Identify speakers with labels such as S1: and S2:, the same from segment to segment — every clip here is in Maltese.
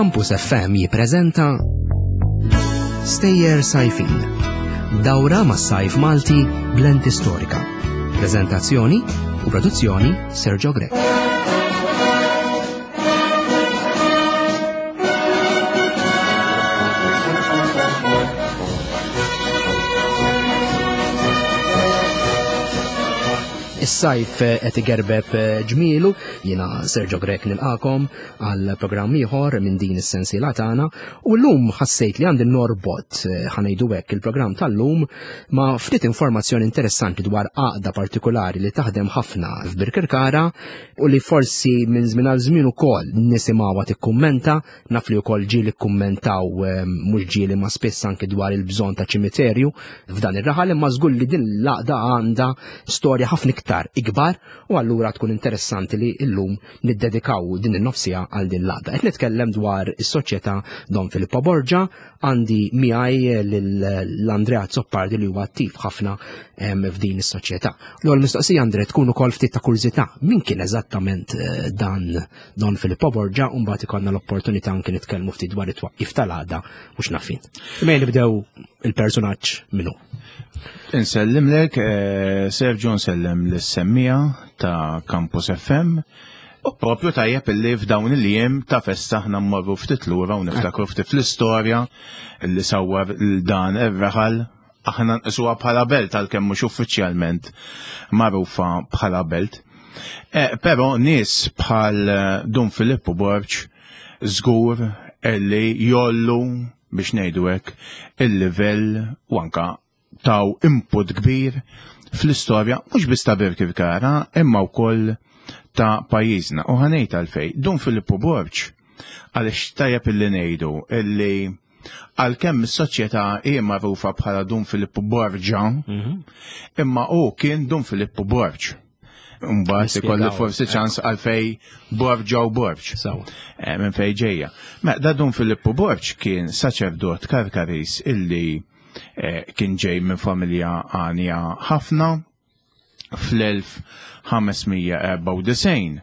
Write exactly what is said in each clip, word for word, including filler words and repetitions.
S1: Campus F M jippreżenta Stejjer Sajfin. Dawra ma' sajf Malti b'lenti storika. Preżentazzjoni u produzzjoni Sergio Grech. Is-sajf qed igerbeb ġmielu, jiena Sergio Grech nilqakom għal programm ieħor minn din is-sensiela tagħna u llum ħassejt li għandi norbot, ħanejdu hekk, il-programm tal-lum ma' ftit informazzjoni interessanti dwar għaqda partikolari li taħdem ħafna f'Birkirkara u li forsi minn żmien għal żmien ukoll nisimgħuha tikkummenta, naf li wkoll ġieli kkummentaw, mhux ġieli ma spiss anke dwar il-bżonn ta' ċimiterju f'dan ir-raħal, imma żgur li din l-għaqda għandha storja ħafna iktar ikbar u allura tkun interessanti li llum niddedikaw din in-nofsija għal din l-għaqda. Qed nitkellem dwar is-Soċjetà Don Filippo Borgia, għandi miegħi lil Andrea Azzopardi li huwa attiv ħafna, em, f'din is-soċjetà. L-ewwel mistoqsija, Andre, tkun ukoll ftit ta' kurżità, min kien eżattament, eh, dan Don Filippo Borgia, u mbagħad ikollna l-opportunità anke nitkellmu ftit dwar it-twaqqif tal-għaqda u x'nafin. Imma nibdew il-personaġġ minnu.
S2: Insellimlek, eh, Sergio, nsellem lis-semmija ta' Campus F M. U propju tajjeb illi f'dawn il-jiem ta' festa aħna mmorru ftit lura u niftakru ftit fl-istorja illi sawwar dan ir-raħal. Aħna nqisuha bħala belt għalkemm mhux uffiċjalment magħrufa bħala belt. Eh, però nies bħal Dun Filippo Borg żgur illi jollu biex ngħidu hekk il-livell u anka taw input kbir fl-istorja mhux biss ta' Birkirkara imma wkoll ta' pajjiżna. U ħanejt għalfej, Dun Filippo Borg, għaliex tajjeb illi ngħidu illi għalkemm is-soċjetà hi magħrufa bħala Dun Filippo Borgia,
S1: Mhm.
S2: imma hu kien Dun Filippo Borg. Mbagħad
S1: Nispjegaw.
S2: ikolli forsi ċans għalfej Borgia u Borg.
S1: Sawa.
S2: Eh, minn fej ġejja. Ma da Dun Filippo Borg kien saċerdot Karkaris illi, eh, kien ġej minn familja għanja ħafna. Fl-elf ħames mija erba' u disgħin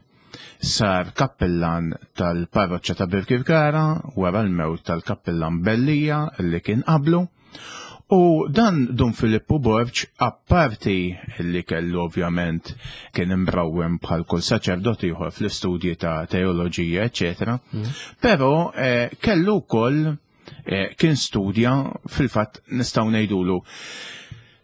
S2: sar kappillan tal-parroċċa ta' Birkirkara wara l-mewt tal-kappillan Bellija illi kien qablu. U dan Dun Filippo Borg, apparti li kellu ovvjament kien imrawwem bħal kull saċerdot ieħor fl-istudji ta' teoloġija, eċċetera,
S1: Mm.
S2: però, eh, kellu wkoll, eh, kien studja fil-fatt nistgħu ngħidulu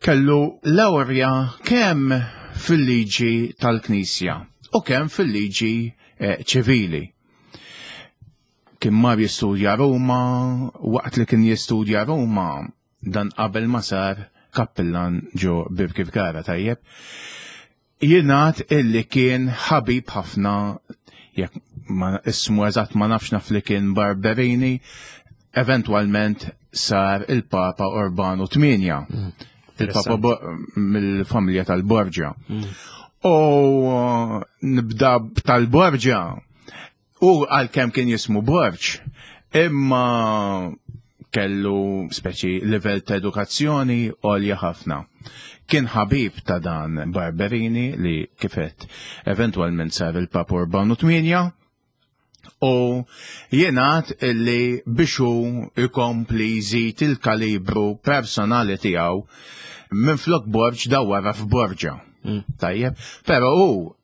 S2: kellu lawrja kemm fil-liġi tal-Knisja u kemm fil-liġi, eh, ċivili. Kien mar jistudja Ruma, waqt li kien jistudja Ruma dan qabel ma sar kappillan ġo Birkirkara, tajjeb. Jingħad illi kien ħabib ħafna, jekk ma ismu eżatt ma nafx, naf li kien Barberini, eventwalment sar il-Papa Urbanu tmienja.
S1: Mm.
S2: Il-Papa
S1: Interessanti.
S2: Bo-, mill-familja tal-Borgia.
S1: Mm.
S2: U nibda tal-Borgia, u għalkemm kien jismu Borg, imma kellu speċi livell ta' edukazzjoni għolja ħafna. Kien ħabib ta' dan Barberini li kifet eventwalment sar il-Papa Urbanu tmienja, u jingħad illi biex hu ikompli jżid il-kalibru personali tiegħu minflok Borg dawwara f'Borgia.
S1: Mm.
S2: Tajjeb, però hu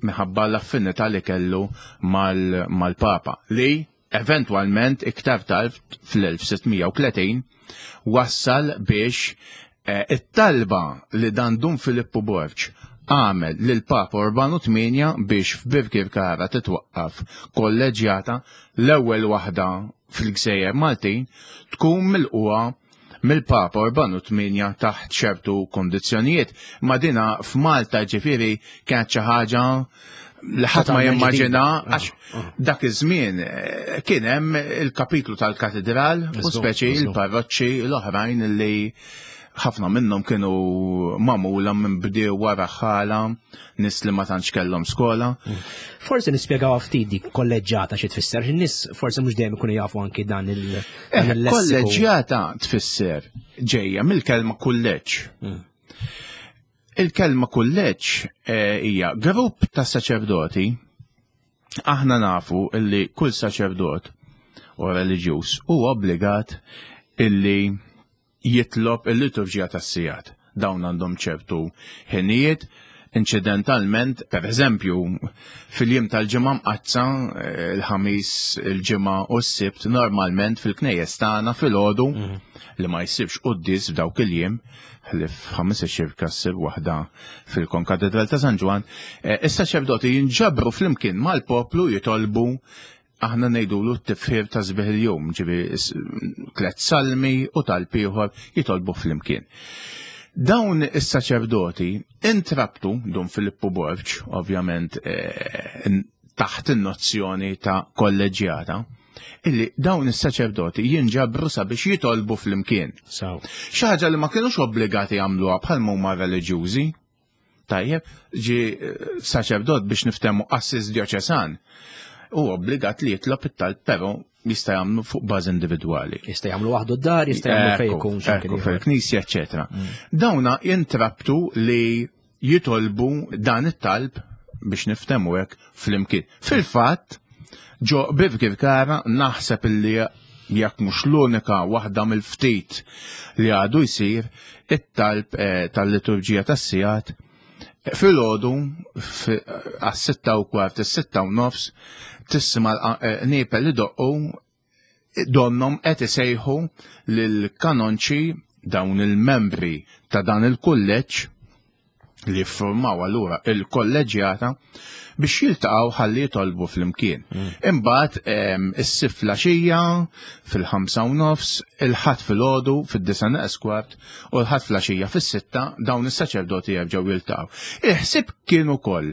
S2: minħabba l-affinità li kellu mal-, mal-Papa li eventwalment iktar tard fl-elf sitt mija u tletin wassal biex, eh, it-talba li dan Dun Filippo Borg għamel lil Papa Urbanu tmienja biex f'Birkirkara titwaqqaf kolleġjata, l-ewwel waħda fil-Gżejjer Maltin, tkun milquha mill-Papa Urbanu tmienja taħt ċertu kondizzjonijiet. Ma dina f'Malta ġifieri kienet xi ħaġa li ħadd ma
S1: Totalment
S2: jimmaġina,
S1: ġdida.
S2: għax
S1: Ah, ah.
S2: dak iż-żmien, eh, kien hemm il-kapitlu tal-katedral u
S1: Eżatt,
S2: speċi
S1: eżatt.
S2: il-parroċċi l-oħrajn li ħafna minnhom kienu magħmula minn bdew wara ħala, nies li ma tantx kellhom skola.
S1: Mm. Forsi nispjegaw ftit dik kolleġġjata xi tfisser, in-nies forsi mhux dejjem ikunu jafu anki dan il-, dan
S2: Eh,
S1: il-lessiku.
S2: Kolleġġjata tfisser ġejja mill-kelma kulleġġ.
S1: Mm.
S2: Il-kelma kulleġġ, eh, hija grupp ta' saċerdoti. Aħna nafu illi kull saċerdot u reliġjuż huwa obbligat illi jitlob il-liturġija tas-sigħat. Dawn għandhom ċertu ħinijiet. Incidentalment, per eżempju, fil-jiem tal-Ġimgħa Mqaddsa, il-Ħamis, il-Ġimgħa u s-Sibt, normalment fil-knejjes tagħna filgħodu li ma jsibx quddies f'dawk il-jiem, ħlief ħames xirka ssir waħda fil-Konkatedral ta' San Ġwann, is-saċerdoti jinġabru flimkien mal-poplu jitolbu, aħna ngħidulu t-tifħir ta' sbieħ il-jum, ġifieri tliet salmi u talb ieħor jitolbu flimkien. Dawn is-saċerdoti intrabtu Dun Filippu Borg, ovvjament taħt in-nozzjoni ta' kolleġjata, illi dawn is-saċerdoti jinġabru sabiex jitolbu flimkien. Xi ħaġa li ma kinux obbligati jagħmluha bħal huma reliġjużi. Tajjeb, ġi saċerdot biex niftehmu qassis djoċesan hu obbligat li jitlob it-talb, però jista' jagħmlu fuq bażi individwali.
S1: Jista' jagħmlu waħdu d-dar, jista' jagħmlu fejn ikun x'imkien ieħor.
S2: Fil-knisja, eċċetera. Dawna jintrabtu li jitolbu dan it-talb biex niftehmu hekk flimkien. Fil-fatt, ġo Birkirkara naħseb illi jekk mhux l-unika waħda mill-ftit li għadu jsir it-talb tal-liturġija tas-sigħat filgħodu għas-sitta u kwart, is-sitta u nofs, tisma' l-qniepel li doqqu donnom qed isejħu lill-kanonċi, dawn il-membri ta' dan il-kulleġġ li ffurmaw allura il-kolleġjata, biex jiltaqgħu ħalli jitolbu flimkien. Imbagħad is-Sibt filgħaxija fil-ħamsa u nofs, il-Ħadd filgħodu fid-disa' neqes kwart u l-Ħadd filgħaxija fis-sitta dawn is-saċerdoti jerġgħu jiltaqgħu. Il-ħsieb kien ukoll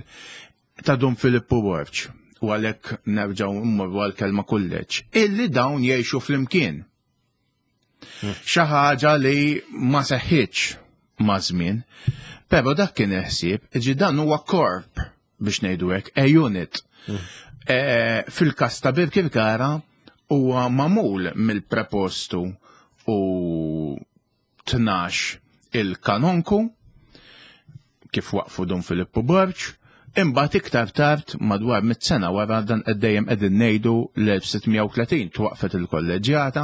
S2: ta' Dun Filippu Borg, u għalhekk nerġgħu mmorru għall-kelma kulleġġ, illi dawn jgħixu flimkien. Xi ħaġa li ma seħħitx ma' żmien, però dak kien il-ħsieb, ġi dan huwa korp biex ngħidu hekk, a unit. Fil-każ ta' Birkirkara huwa magħmul mill-prepostu u tnax il-kanonku kif waqfu Dun Filippu Borg, imbagħad iktar tard madwar mitt sena wara dan qed dejjem qegħdin ngħidu l-elf sitt mija u tletin twaqfet il-kolleġjata,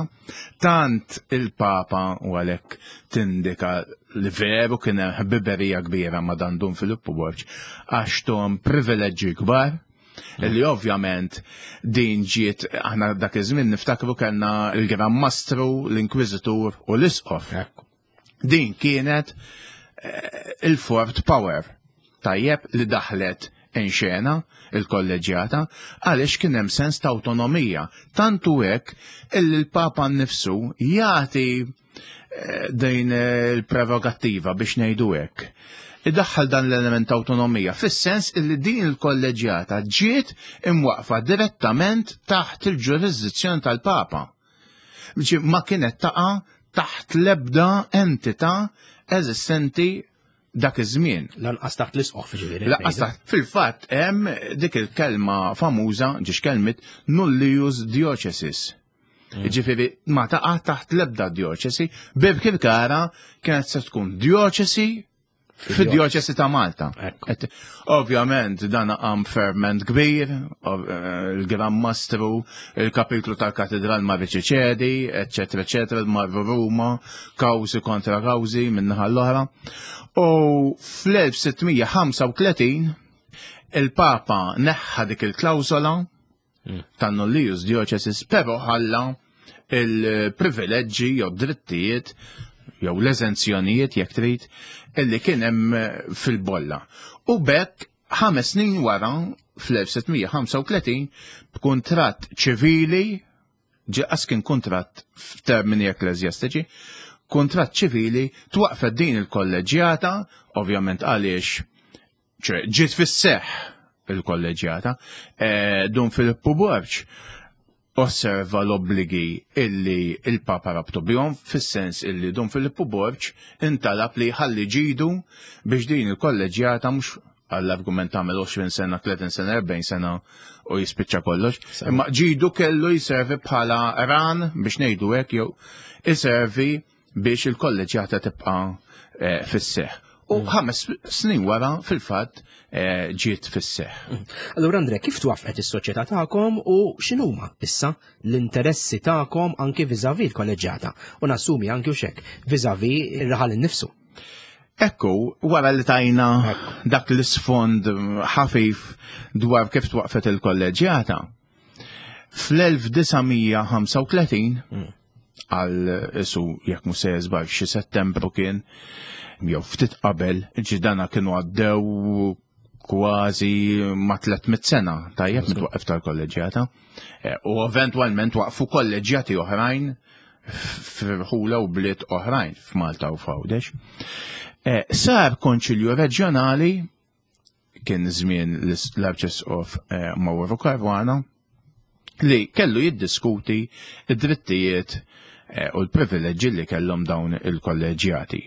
S2: tant il-Papa u għalhekk tindika li veru kien hemm ħbiberija kbira ma' dan Dun Filippu Borg għax tom privileġġi kbar, li ovvjament din ġiet, aħna dak iż-żmien niftakru kellna il-Gran Mastru, l-Inkwiżitur u l-Isqof. Din kienet il-fourth power, tajjeb, li daħlet in xena il-kolleġjata għaliex kien hemm sens ta' autonomija. Tantu hekk illi l-Papa nnifsu jagħti din il-prerogattiva biex ngħidu hekk. Idaħħal dan l-element ta' autonomija fis-sens illi din il-kolleġjata ġiet imwaqfa direttament taħt il-ġurisdizzjoni tal-Papa. Ma kienet taqa' taħt l-ebda entità eżistenti dak iż-żmien.
S1: Lanqas taħt l-isqof, ġifieri.
S2: Lanqas taħt. Fil-fatt hemm dik il-kelma famuża, ġiex kelmit nullius diocesis. Ġifieri ma taqa' taħt l-ebda dioċesi, Birkirkara kienet se tkun dioċesi fid-dioċesi ta' Malta. Ovvjament dan qam ferment kbir, il-Gran Mastru, il-kapitlu tal-Katedral ma riċeċedi, eccetera, eccetera, marru Ruma, kawżi kontra kawżi min-naħa l-oħra. U fl-elf sitt mija ħamsa u tletin il-Papa neħħa dik il-klawsola tan-nullius diocesis, però ħalla il-privileġġi jew drittijiet jew l-eżenzjonijiet jekk trid illi kien hemm fil-bolla. U bekk ħames snin wara fl-elf sitt mija ħamsa u tletin b'kuntratt ċivili, ġi kien kuntratt f'termini ekklesjastiċi, kuntratt ċivili twaqfet din il-kolleġjata, ovvjament għaliex ċe, ġiet fis-seħħ il-kolleġjata, eh, Dun Filippu Borg osserva l-obbligi illi il-Papa rabtu bihom, fis-sens illi Dun Filippu Borg intalab li ħalli ġidu biex din il-kolleġjata mhux għall-argument tagħmel għoxrin sena, tletin sena, erbgħin sena u jispiċċa kollox. Imma ġidu kellu jiservi bħala ran biex ngħidu hekk, jew iservi biex il-kolleġjata tibqa', eh, fis-seħħ. U ħames snin wara fil-fatt eh, ġiet fis-seħħ.
S1: Allura Andre, kif twaffqet is-soċjetà tagħkom u x'inhuma issa l-interessi tagħkom anki viżavi l-kolleġġjata u nassumi anki u xek viżavi ir-raħal innifsu?
S2: Ekku, wara li tajna dak l-isfond ħafif dwar kif twaqfet il-kolleġġjata, fl-elf disa' mija ħamsa u tletin, għal isu jekk mhux se żball xi Settembru kien, jew ftit qabel, ġidana kienu għaddew kważi ma' tliet mitt sena, tajjeb, mit-twaqqif tal-kolleġġjata. Eh, U eventwalment waqfu kolleġġjati oħrajn f'rħula u bliet oħrajn f'Malta u f'Għawdex. Eh, Sar konċilju reġjonali, kien żmien l-Arċisqof eh, Mauro Caruana, li kellu jiddiskuti id-drittijiet eh, u l-privileġġi li kellhom dawn il-kolleġjati.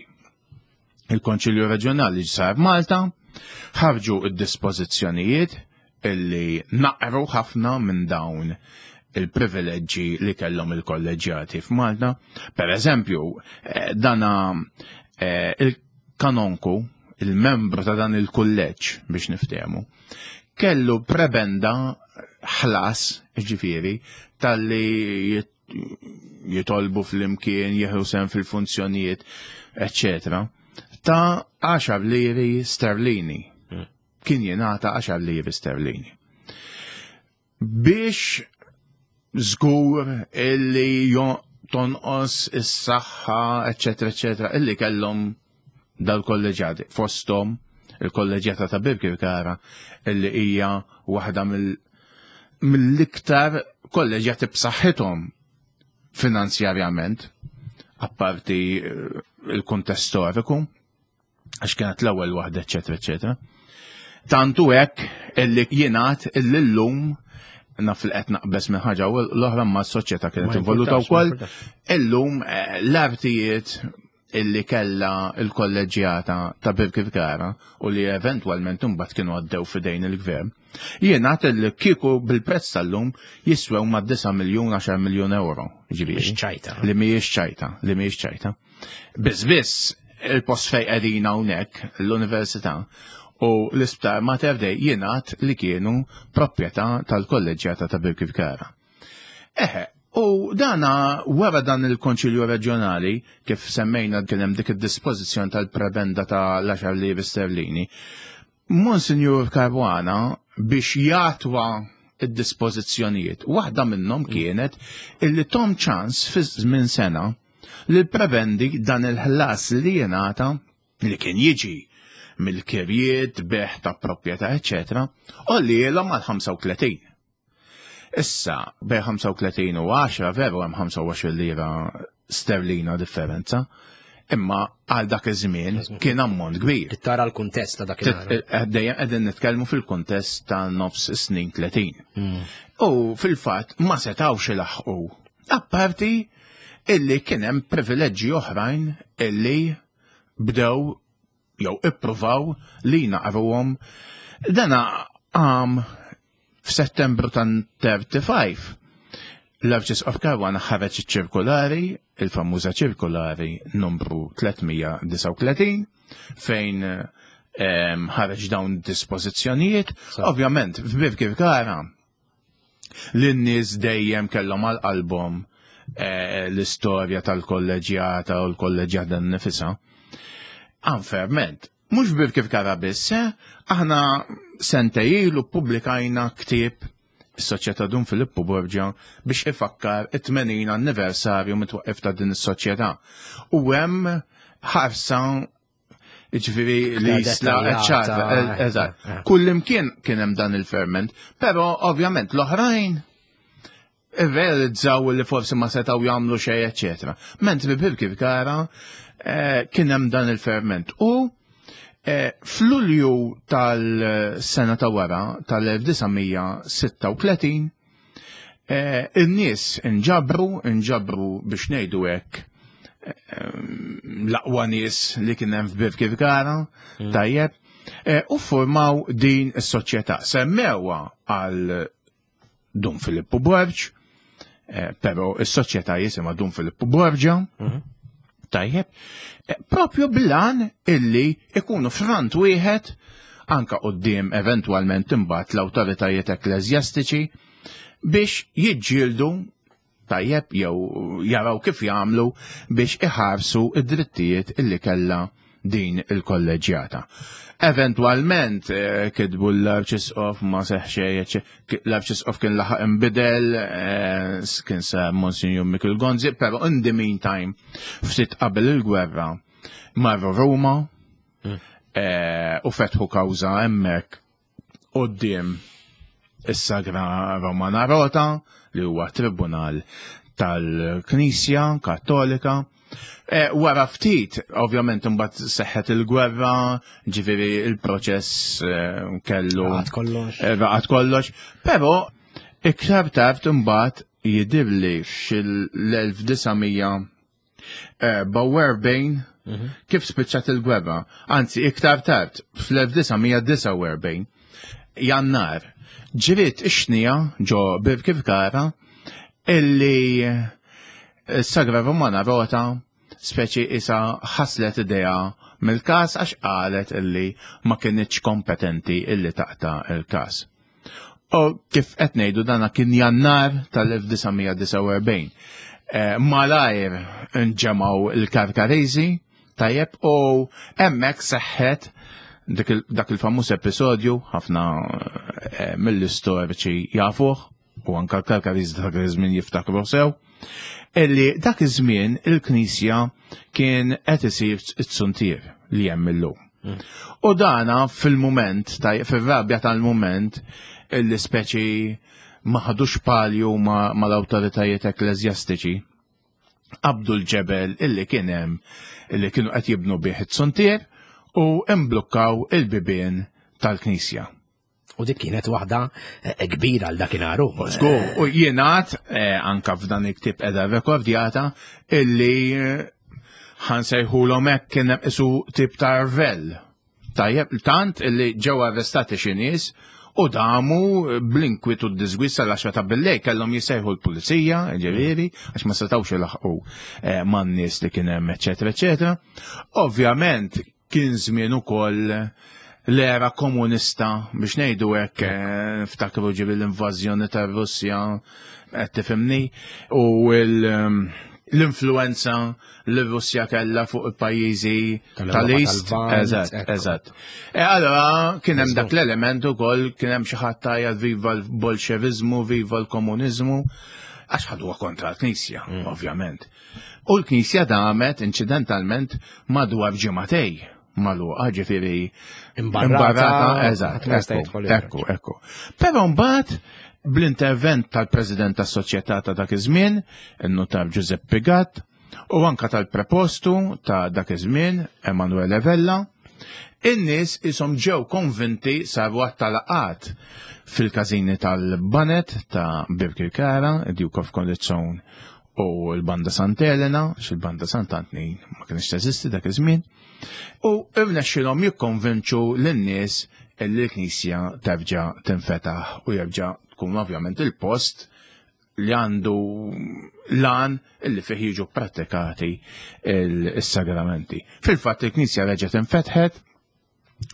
S2: Il-Konċilju Reġjonali sar Malta, ħarġu id-dispożizzjonijiet illi naqru ħafna minn dawn il-privileġġi li kellhom il-kolleġjati f'Malta. Per eżempju, eh, dana eh, il-kanonku, il-membru ta' dan il-kulleġġ biex niftehmu, kellu prebenda, ħlas, ġifieri, tal-li jit- jitolbu fl-imkien, jieħu sehem fil-funzjonijiet, eccetera, ta' għaxar liri sterlini. Kien jingħata għaxar liri sterlini. Biex żgur illi jo- tonqos is-saħħa, eccetera, eccetera, illi kellhom dal-kolleġjati, fosthom il-kolleġjata ta' Birkirkara, illi hija waħda mill- mill-iktar kolleġjati b'saħħithom finanzjarjament, apparti eh, il-kuntest storiku, għax kienet l-ewwel waħda, eċetera, eċetera. Tantu hekk illi jingħad illi llum, naf li qed naqbeż minn ħaġa u l-oħra, ma s-soċjetà kienet
S1: Ma
S2: involuta
S1: jimpurtax, ma
S2: wkoll,
S1: jimpurtax.
S2: illum eh, l-artijiet illi kella il-kolleġjata ta' Birkirkara u li eventwalment imbagħad kienu għaddew f'idejn il-gvern, jingħad illi kieku bil-prezz tal-lum jiswew ma' disa' miljun, għaxar miljun euro. Ġifieri.
S1: Mhix ċajta.
S2: Li mhijiex ċajta, li mhijiex ċajta. Biss biss il-post fej qegħdin hawnhekk, l-università, u l-isptar Mater Dei jingħad li kienu proprjetà tal-kolleġjata ta' Birkirkara. Eħe, u dana wara dan il-Konċilju Reġjonali, kif semmejna, kien hemm dik id-dispożizzjoni tal-prebenda ta' l-għaxar liri sterlini. Monsignor Caruana, biex jatwa id-dispożizzjonijiet, waħda minnhom kienet illi tahom ċans fi żmien sena li l-prebendi, dan il-ħlas li jingħata, li kien jiġi mill-kirjiet, bejgħ ta' proprjetà, eccetera, u li jilhom għal ħamsa u tletin. Issa, bejn ħamsa u tletin u għaxra veru hemm ħamsa u għoxrin lira sterlina differenza, imma għal dak iż-żmien kien ammont kbir.
S1: Tara l-kuntest ta' dak
S2: Dejjem qegħdin nitkellmu fil-kuntest ta' nofs snin tletin. U fil-fatt ma setawx ilaħqu. Apparti illi kien hemm privileġġi oħrajn illi bdew jew ippruvaw li naqruhom. Dana għam f'Settembru tan tletin. L-Arċisqof Caruana ħareġ ċirkulari, il-famuża ċirkulari numru tliet mija disgħa u tletin, fejn em, ħareġ dawn dispożizzjonijiet. Ovvjament, f'Birkirkara, l-nies dejjem kellhom għal qalbhom eh, l-istorja tal-kolleġjata u l-kolleġjata nifisha. Anferment, mhux Birkirkara biss, eh, aħna sentejn ilu ppubblikajna ktieb, is-Soċjetà Dun Filippu Borgia, biex ifakkar it-tmenin anniversarju mit-twaqqif ta' din is-soċjetà. U hemm ħarsa, ġifieri li jisla
S1: dettaljata,
S2: eċċata, eżatt.
S1: eh.
S2: Kull imkien kien hemm dan il-ferment, però ovvjament l-oħrajn irrealizzaw li forsi ma setaw jagħmlu xejn, eċetera. Mentri Birkirkara eh, kien hemm dan il-ferment. U eh, f'Lulju tal-sena ta' wara, tal-elf disa' mija sitta u tletin, eh, in-nies inġabru, inġabru biex ngħidu hekk, eh, l-aqwa nies li kien hemm f'Birkirkara, tajjeb, eh, u formaw din is-soċjetà. Semmewha għal Dun Filippu Borg, eh, però is-soċjetà jisimha Dun Filippu Borgia. Tajjeb, eh, propju bil-għan illi ikunu front wieħed anka quddiem eventwalment imbagħad l-awtoritajiet ekkleżjastiċi biex jiġġieldu, tajjeb, jew jaraw kif jagħmlu biex iħarsu id-drittijiet illi kellha din il-kolleġjata. Eventwalment eh, kitbu l-Arċisqof, ma seħ, l-Arċisqof kien laħaq imbidel, eh, kien sa Monsignor Michael Gonzi, pero in the meantime, ftit qabel il-gwerra, marru Ruma mm. eh, u fetħu kawża hemmhekk quddiem is-Sagra Romana Rota, li huwa tribunal tal-Knisja Kattolika. E, wara ftit, ovvjament, imbagħad seħħet il-gwerra, ġifieri il-proċess eh, kellu.
S1: Raqad kollox.
S2: Eh, raqad kollox, però iktar tard imbagħad jidirli fil-elf disa' mija erbgħa u erbgħin mhm. kif spiċċat il-gwerra, anzi iktar tard fl-elf disa' mija disgħa u erbgħin Jannar, ġriet ix-xnija ġo Birkirkara illi s-Sagra Romana Rota speċi isa ħaslet idejha mill-kas għax qalet illi ma kienitx kompetenti illi taqta il-kas. U kif qed ngħidu, dana kien Jannar tal-elf disa' mija disgħa u erbgħin. Eh, malajr nġemgħu il-Karkariżi, tajjeb, u hemmhekk seħħet dak il-famuż episodju, ħafna eh, mill-istoriċi jafuh, u anka l-Karkariżi dak iż-żmien jiftakru sew, illi dak iż-żmien il-Knisja kien qed isir it-suntier li hemm illum. Mm. U dana fil-moment, fil-rabja tal-moment, illi speċi ma ħadux palju mal-awtoritajiet ekkleżjastiċi, qabdu l-ġebel illi kien hemm, illi kienu qed jibnu bih it-suntier, u imblukkaw il-bibien tal-Knisja.
S1: U dik kienet waħda eh, kbira għal dakinhar.
S2: Żgur, u jingħad eh, anka f'dan il-ktib qiegħda rekordjata illi eh, ħa nsejħulhom hekk kien hemm isu tip ta' rvell. Tajjeb, tant illi ġew arrestati xi nies u damu bl-inkwiet u d-diżgwid sal-għaxra ta' billejl, kellhom jisejħu l-pulizija, ġifieri, għax ma setawx ilaħqu man-nies li kien hemm, eċetera, eċetera. Ovvjament kien żmien ukoll l-era komunista, biex ngħidu hekk, eh, ftakru ġibi l-invażjoni tar-Russja, qed tifhimni, u l-influenza li Russja kellha fuq il-pajjiżi tal-East. Eżatt, eżatt. E allora kien hemm dak l-element ukoll, kien hemm xi ħadd tajjeb, "Viva l-Bolxevizmu, viva l-komuniżmu", għax ħaduha kontra l-Knisja, mm. ovvjament. U l-Knisja damet incidentalment madwar ġimagħtejn magħluqa, ġifieri
S1: imbarrata,
S2: eżatt, ekku, ekku. Però mbagħad bl-intervent tal-President tas-Soċjetà ta' dak iż-żmien, in-Nutar Giuseppe Gatt, u anka tal-prepostu ta' dak iż-żmien, Emanuele Vella, in-nies isom ġew konvinti, saru għadd ta' laqgħat fil-każini tal-Banet ta' Birkirkara, Duke of Corizon u l-Banda Sant'Elena, xil-Banda Sant'Antnin ma kienx teżisti dak iż-żmien, u irnexxilhom jikkonvinċu lin-nies li l-Knisja terġa' tinfetaħ u jerġa' tkun ovvjament il-post li għandu l-għan illi fih jiġu pratikati il-sagramenti. Fil-fatt il-Knisja reġgħet infetħet,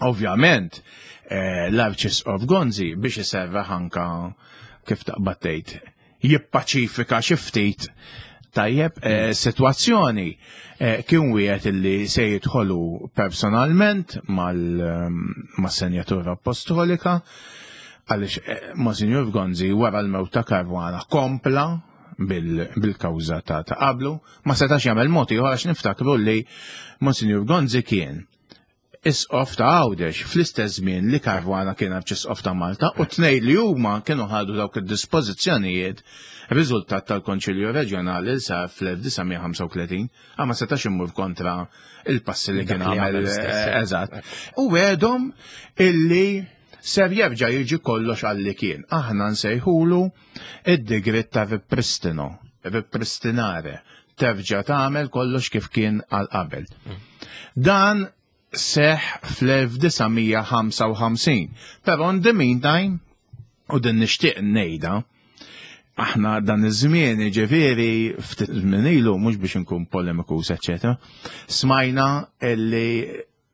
S2: ovvjament eh, l-Arċisqof Gonzi, biex iserraħ anka, kif taqbad tgħid, jippaċifika xi ftit, tajjeb, eh, situazzjoni, eh, kien wieħed illi se jidħolu personalment mal-Senjatura Apostolika, għaliex eh, Monsignor Gonzi wara l-mewt ta' Caruana kompla bil-kawża ta' ta' qablu, ma setax jagħmel mod ieħor, għax niftakru li Monsignor Gonzi kien isqof ta' Għawdex fl-istess żmien li Caruana kien arċisqof ta' Malta, u tnejn li huma kienu ħadu dawk id-dispożizzjonijiet riżultat tal-Konċilju Reġjonali li sar fl-elf disa' mija ħamsa u tletin, għax ma setax imur kontra il-passi li kien għamel. Eżatt. U għedhom illi ser jerġa' jiġi kollox għalli kien. Aħna nsejħulu id-digriet ta' ripristino, ripristinare, terġa' tagħmel kollox kif kien għal qabel. Dan seħ fl-elf disa' mija ħamsa u ħamsin. Pero in the meantime, u din nixtieq ngħidha, Aħna dan iż-żmien, ġifieri ftit żmien ilu, mhux biex inkun polemikus, eċetera, smajna illi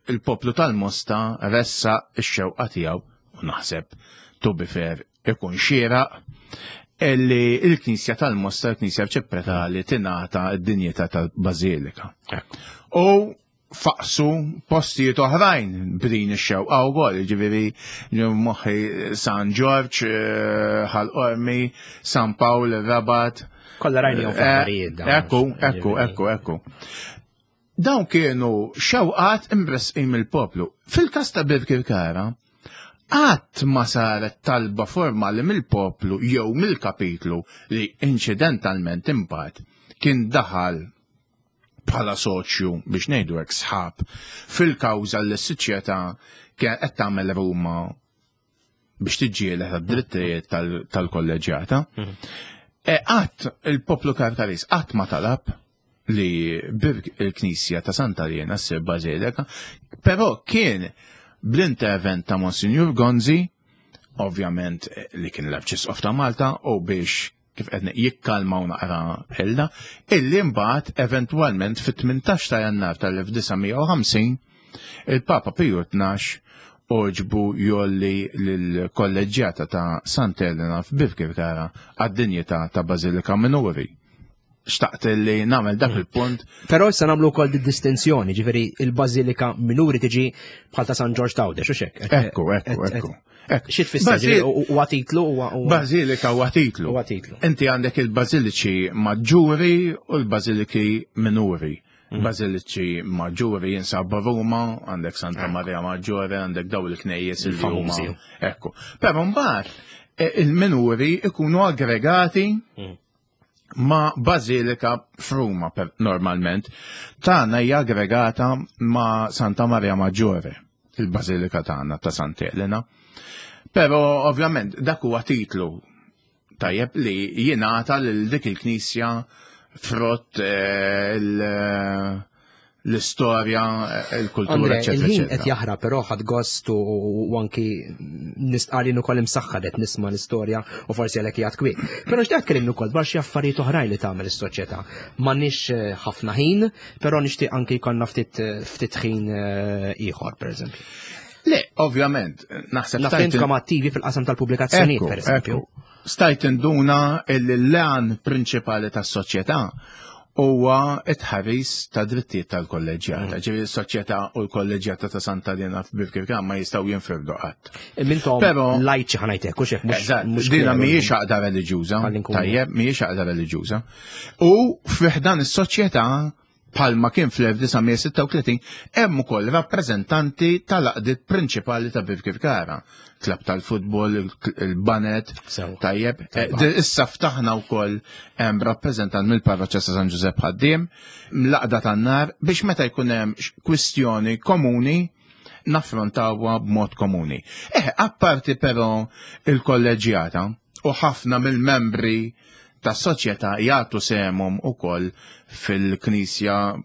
S2: il-poplu tal-Mosta ressaq ix-xewqa tiegħu, u naħseb to be fair ikun xieraq, illi il-Knisja tal-Mosta, il-Knisja Arċipretali, tingħata d-dinjità tal-Bażilika. U faqsu postijiet oħrajn b'din ix-xewqa wkoll, ġifieri moħħi San Ġorġ, Ħal Qormi, San Pawl, Rabat.
S1: Kollha rajnihom fl-aħbarijiet dawn.
S2: Ekku, ekku, ekku, ekku. Dawn kienu xewqat imresqin mill-poplu. Fil-każ ta' Birkirkara, qatt ma saret talba formali mill-poplu jew mill-kapitlu li inċidentalment imbagħad kien daħal bħala soċju, biex ngħidu hekk, sħab fil-kawża li s-soċjetà kien qed tagħmel Ruma biex tiġġieled għad-drittijiet tal-kolleġjata. Qatt il-poplu Karkaris qatt ma talab li il-Knisja ta' Santa Liena ssir bażilika, però kien bl-intervent ta' Monsignor Gonzi, ovvjament li kien l-Arċisqof ta' Malta, u biex kif qed jikkalmaw naqra ħella, illi mbagħad eventwalment fit-tmintax ta' Jannar tal-elf disa' mija u ħamsin il-Papa Piju tnax oġbu jolli lill-kolleġġjata ta' Santa Elena f'Birkirkara għad-dinjità ta' Bażilika Minuri. Xtaqt li nagħmel dak il-punt.
S1: Però issa nagħmlu wkoll di distinzjoni, ġifieri il-Bażilika Minuri tiġi bħal ta' San Ġorġ Tawdex, u xek?
S2: Ekku, ekku, ekku. Ekku.
S1: Xi tfisser?
S2: Bażil-
S1: Ġifieri, u-, huwa titlu, huwa-, huwa
S2: Bażilika huwa titlu.
S1: Huwa titlu.
S2: Inti għandek il-bażiliċi maġġuri u l-bażiliki minuri.
S1: Mm.
S2: Bażiliċi maġġuri jinsabu Ruma, għandek Santa Maria Maggiore, għandek daw il-knejjes il huma.
S1: Famużi.
S2: Ekku. Però mbagħad, e, il-minuri ikunu aggregati
S1: Mm.
S2: ma' bażilika f'Ruma per-, normalment. Tagħna hija aggregata ma' Santa Maria Maggiore, il-bażilika tagħna ta' Santa Elena. Però ovvjament dak huwa titlu tajjeb li jingħata lil dik il-knisja frott, eh, il-, l-istorja, il-kultura,
S1: Andre,
S2: eccetera,
S1: il-ħin
S2: eccetera.
S1: qed jaħrab, però ħadd gost u, u anki nistqarr ukoll imsaħħar qed nisma' l-istorja u forsi għalhekk qiegħed kwiet. Però xtaqt tkellimni wkoll dwar xi affarijiet oħrajn li tagħmel is-soċjetà. M'għandniex, eh, ħafna ħin, però nixtieq anki jkollna ftit, ftit ħin, eh, ieħor, pereżempju.
S2: Le, ovvjament, naħseb
S1: Naf
S2: stajt
S1: intkom attivi fil-qasam tal-pubblikazzjonijiet,
S2: Ekku,
S1: pereżempju.
S2: ekku. Stajt induna l-lan prinċipali tas-soċjetà huwa it-ħaris ta' drittijiet tal-kolleġjata.
S1: Mm.
S2: Ġifieri s-soċjetà u l-kolleġjata ta' Santa Elena f'Birkirkara ma jistgħu jinfirdu qatt.
S1: Mintom
S2: Però
S1: lajċi ħanajtek, u xek, mhux-
S2: Eżatt,
S1: mhux
S2: dina
S1: kleru.
S2: mhijiex għaqda reliġjuża,
S1: Ħalli nkunu.
S2: tajjeb, mhijiex għaqda reliġjuża. U fih dan is-soċjetà bħalma kien fl-elf disa' mija sitta u tletin, hemm ukoll rappreżentanti tal-għaqdiet prinċipali ta' Birkirkara. Klab tal-futbol, il-, il-banet,
S1: Sew.
S2: tajjeb.
S1: Tajba.
S2: Eh, di-, issa ftaħna wkoll hemm rappreżentant mill-parroċċa ta' San Ġużepp Ħaddiem, mlaqda tan-nar, biex meta jkun hemm x-, kwistjoni komuni naffrontawha b'mod komuni. Eh, apparti però il-kolleġjata u ħafna mill-membri tas-soċjetà jagħtu sehemhom ukoll fil-Knisja.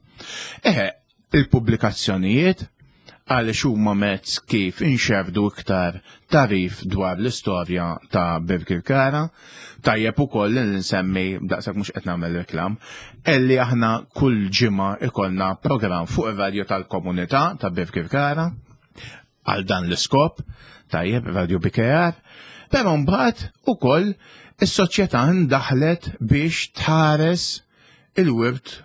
S2: Eh, il-pubblikazzjonijiet għaliex huma mezz kif inxerdu iktar tarif dwar l-istorja ta' Birkirkara. Tajjeb ukoll li nsemmi, daqshekk mhux qed nagħmel reklam, illi aħna kull ġimgħa ikollna programm fuq ir-radju tal-komunità ta' Birkirkara għal dan l-iskop, tajjeb, Radio B K R, però mbagħad ukoll is-soċjetà ndaħlet biex tħares il-wirt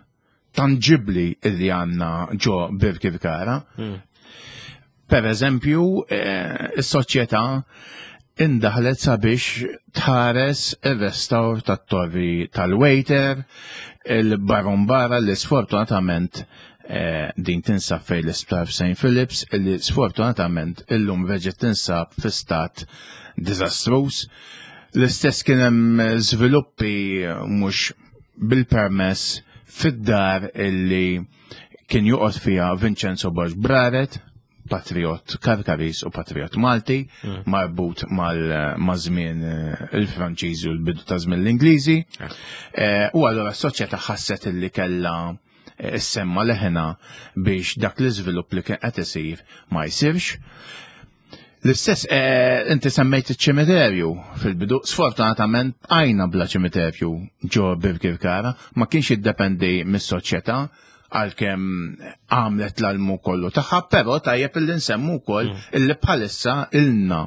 S2: tangibli illi għandna ġo Birkirkara.
S1: Hmm.
S2: Per eżempju, eh, is-soċjetà indaħlet sabiex tħares ir-restawr tat-torri tal-waiter, il-barumbara li sfortunatament, eh, din tinsab fejn l-isptar Saint Philips, li sfortunatament illum reġgħet tinsab fi stat diżastruż. L-istess kien hemm żviluppi mhux bil-permess fid-dar illi kien joqgħod fiha Vincenzo Borg Braret, patriot Karkaris u patriot Malti,
S1: Mm.
S2: marbut mal-, ma' żmien, eh, il-Franċiżi u l-bidu ta' żmien l-Ingliżi.
S1: Eh.
S2: Eh, u allura s-soċjetà ħasset illi kellha, eh, issemma leħna biex dak l-iżvilupp li kien qed isir ma jsirx. L-istess, eh, inti semmejt iċ-ċimiterju fil-bidu, sfortunatament għajna bla ċimiterju ġo Birkirkara, ma kienx jiddependi mis-soċjetà għalkemm għamlet l-almu kollu tagħha, però tajjeb illi nsemmu wkoll mm. illi bħalissa ilna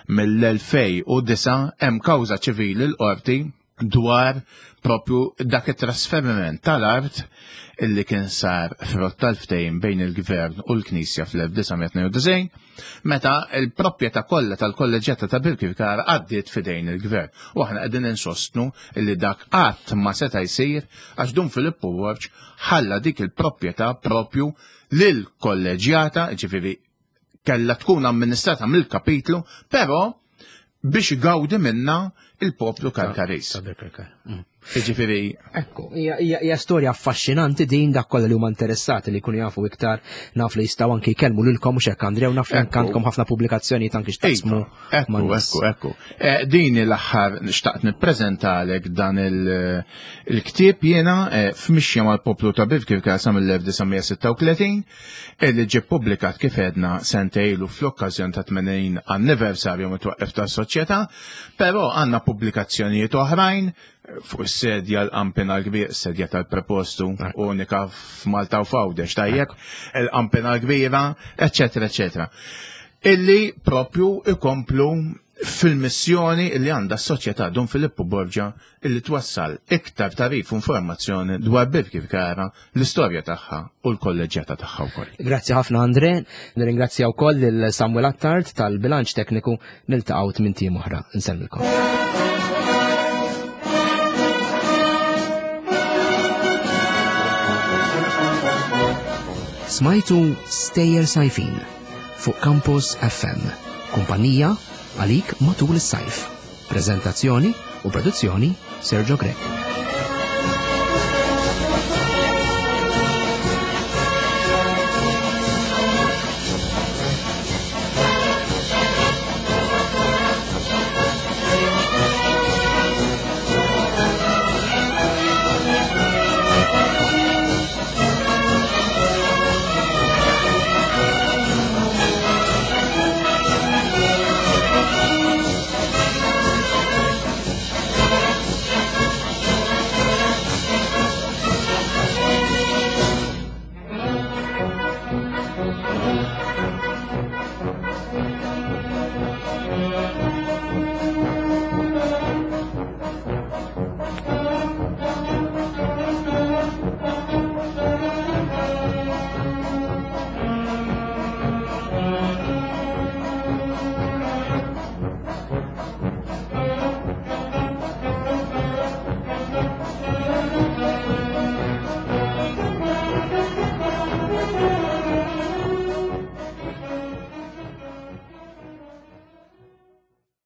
S2: mill-elfejn u disgħa hemm kawża ċivili l-qorti dwar propju dak it-trasferiment tal-art illi kien sar frott tal-ftehim bejn il-Gvern u l-Knisja fl-elf disa' mija tnejn u disgħin, meta l-proprjetà kollha tal-kolleġġjata ta' Birkirkara għaddiet f'idejn il-Gvern. U aħna qegħdin insostnu illi dak qatt ma seta' jsir għax Dun Filippu Borg ħalla dik il-proprjetà propju lill-kolleġġjata, ġifieri kellha tkun amministrata mill-kapitlu, però biex igawdi minna il-poplu Karkaris.
S1: Ta' Birkirkara. Mm.
S2: Jiġifieri.
S1: Ekku, hija, hija, hija storja affaxxinanti din, dak kollha li huma interessati li jkunu jafu iktar, naf li jistgħu anki jkellmu lilkom mhux hekk Andrea, u naf li anke għandkom ħafna pubblikazzjonijiet anki x'taqsmu
S2: Iva, ekku,
S1: man-nies.
S2: ekku, ekku. Eh, din l-aħħar xtaqt nippreżentalek dan il-, il-ktieb jiena, eh, f'mixja mal-poplu ta' Birkirkara sa mill-elf disa' mija sitta u tletin, li ġie ppubblikat kif għedna sentejlu fl-okkażjon ta' tmenin anniversarju mit-twaqqif tas-soċjetà, però għandna pubblikazzjonijiet oħrajn fuq is-sedja l-Qampina l-Kbir, sedja tal-prepostu unika f'Malta u f'Għawdex, tajjeb, il-Qampina l-Kbira, eċċetera, eċċetera. Illi propju ikomplu fil-missjoni illi għandha s-soċjetà Dun Filippu Borgia illi twassal iktar tarif u informazzjoni dwar Birkirkara, l-istorja tagħha u l-kolleġġjata tagħha wkoll.
S1: Grazzi ħafna Andre, nirringrazzja wkoll lil Samuel Attard tal-bilanċ tekniku, niltaqgħu tmien tim oħra. Nsellmilkom. Smajtu Stejjer Sajfin fuq Campus F M, kumpanija għalik matul is-sajf. Prezentazzjoni u produzzjoni Sergio Grech.